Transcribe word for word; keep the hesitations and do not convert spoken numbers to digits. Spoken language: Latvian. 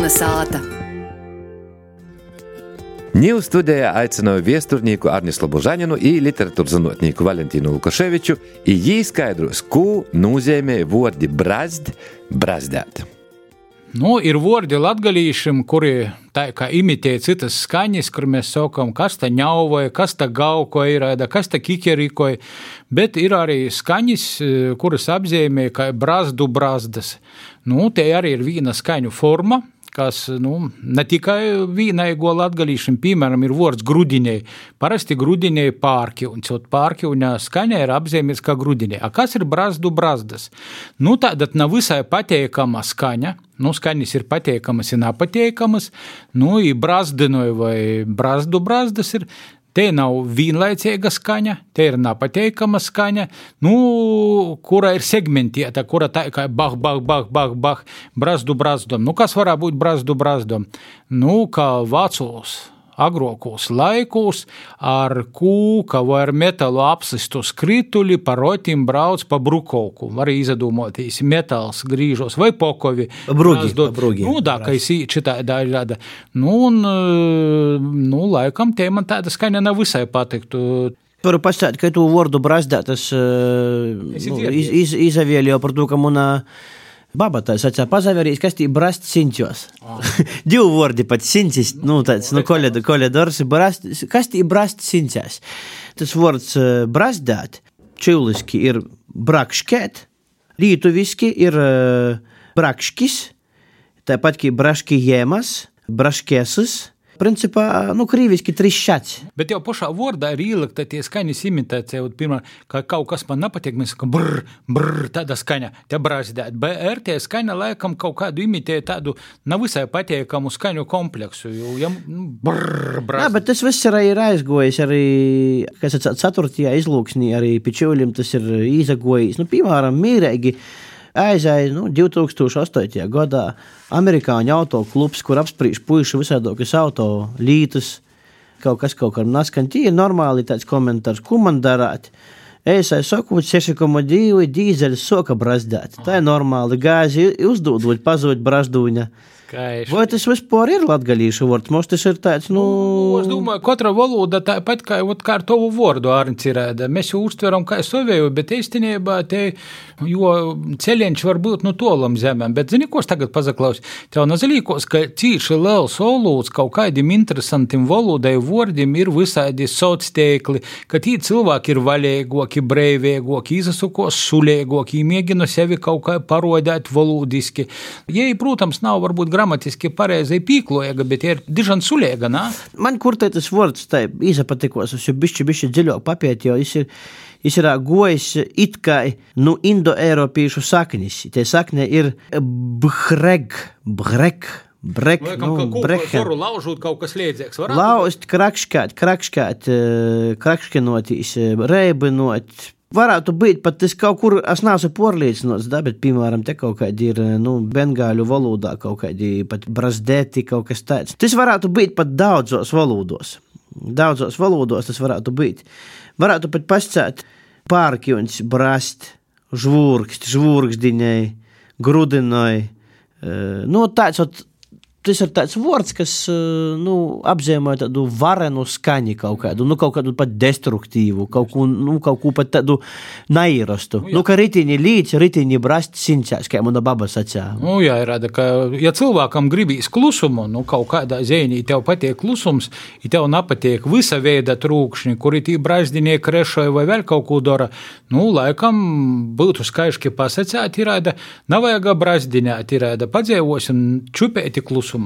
Jauna sāta. Ņū studijā aicināju viesturnīku Arnislu Božaņinu i literatūras zinotnīku Valentīnu Lukaševiču, i jī skaidros, ko nozīmē vordi brazd, brazdēt. Nu, ir vordi latgalīšiem, kuri tā kā imitē citas skaņas, kur mēs saukam, kas ta ņauvoja, kas ta gaukoja, kas ta kikerikoja, bet ir arī skaņas, kuras apzīmē kā brazdu brazdas. Nu, te arī ir viena skaņu forma, kas, nu, ne tikai vīnaigo latgalīšiem, piemēram, ir vords grudinei. Parasti grudinei pārkiuņs, un pārkiuņa skaņa ir apzīmēts kā grudinei. A kas ir brazdu brazdas? Nu, tādat nav visai pateikama skaņa. Nu, skaņas ir pateikamas, ir nepateikamas. Nu, i brazdinoj vai brazdu brazdas ir. Te nav vienlaicīga skaņa, te ir nepateikama skaņa, nu, kura ir segmentieta, kura tā kā bah, bah, bah, bah, bah, brazdu brazdom. Nu, kas varētu būt brazdu brazdom? Nu, kā vecos, agrokos laikos ar kūka vai ar metalu apsistu skrituli pa rotim brauc pa brukovku. Var izdomāties metals grīžos vai pokovi. Brugi, brugi. Nu, da, ka es šitā daļāda. Nu, un, nu, laikam, te man tāda skaņa nav visai patiktu. Varu pastāstīt, ka tu vordu brazdāt, es, nu, iz, iz, izavēļoju par to, ka munā baba tā sacā pazaverīs, kas tī brast siņķos. Oh. Divu vordi pat siņķis, nu, tāds, nu, koledors, brast, kas tī brast siņķās. Tas vords brazdāt, čuliski ir brakškēt, lītuviski ir brakškis, tāpat kā braškijēmas, braškēsas, principā, nu, krīviski trišķats. Bet jau pašā vordā ir ielikta tie skaņas imitācija, pirmā, ka kaut kas man nepatiek, mēs sakam, brr, brr, tāda skaņa, te brazdēt. Bet ar tie skaņa laikam kaut kādu imitē tādu nav visai pateikamu skaņu kompleksu, jo, ja, brr, brazdēt. Jā, bet tas viss ir aizgojis arī, kas ir ceturtajā izlūksnī, arī pičuļim tas ir izagojis. Nu, piemēram, mīrēgi aizēja, nu, divi tūkstoši astotajā gadā amerikāņu autoklubs, kur apsprīš puišu visādokas auto lītas, kaut kas kaut kā naskan. Tie ir normāli tāds komentārs, ko man darāt. Es saku, seši koma divi dīzeļs soka brazdēt. Tā ir normāli. Gāzi uzdūdot, pazūt brazdūņa. Kaiši. Vai tas vispār ir latgalīšu vords? Mums tas ir tāds, nu... nu es domāju, katra valoda tāpat kā, kā ar tavu vordu ārņci rēda. Mēs jau uztveram kā sovēju, bet īstenībā te, jo ceļienš var būt nu tolam zemēm. Bet zini, ko es tagad pazaklaus? Tev nazalīkos, ka cīši liels olūds kaut kādiem interesantiem valodai vordim ir visādi sociāli, ka tī cilvēki ir vaļēgoki, breivēgoki, izasukos sulēgoki, mēģina sevi kaut kā parodēt valodiski. Jei, protams, nav varbūt gramatiski pareizai pīkloja, bet ir dižan suliega, nā? Man kur te tas vords tai izapatikos, es jau bišķi, bišķi dziļāk papiet, jo es ir, es ir gojis it kā, nu, indo-eiropīšu saknis. Te sakne ir bhreg, brek, brek, Laikam, nu, breken. Varu laužūt kaut kas liedzīgs, varētu? Laust, krakškāt, krakškāt, krakškenotīs, reibinot. Varētu būt pat tas kaut kur, es neesmu porliecinots, da, bet, piemēram, te kaut kādi ir, nu, bengāļu valodā kaut kādi pat brazdēti, kaut kas tāds. Tas varētu būt pat daudzos valodos. Daudzos valodos tas varētu būt. Varētu pat pascēt pārkiuņs, brast, žvūrkst, žvūrkšdiņai, grudinoj. Nu, tāds, tas ir tāds vords, kas, nu, apzīmē tādu varenu skaņu kaut kādu, nu, kaut kādu pat destruktīvu, kaut ko, nu, kaut ko pat tādu nairastu. Nu, nu ka ritiņi līdz, ritiņi brast siņcās, kā mana baba sacā. Nu, jā, ir rada, ka, ja cilvēkam gribīs klusumu, nu, kaut kādā zēnī tev patiek klusums, ja tev nepatiek visa veida trūkšņi, kuri tī brazdinē krešoja vai vēl kaut ko dara, nu, laikam būtu skaiški pasacēt, ir rada, nav vajag brazdinēt, ir rada, padzēvosim čupēti klusumā.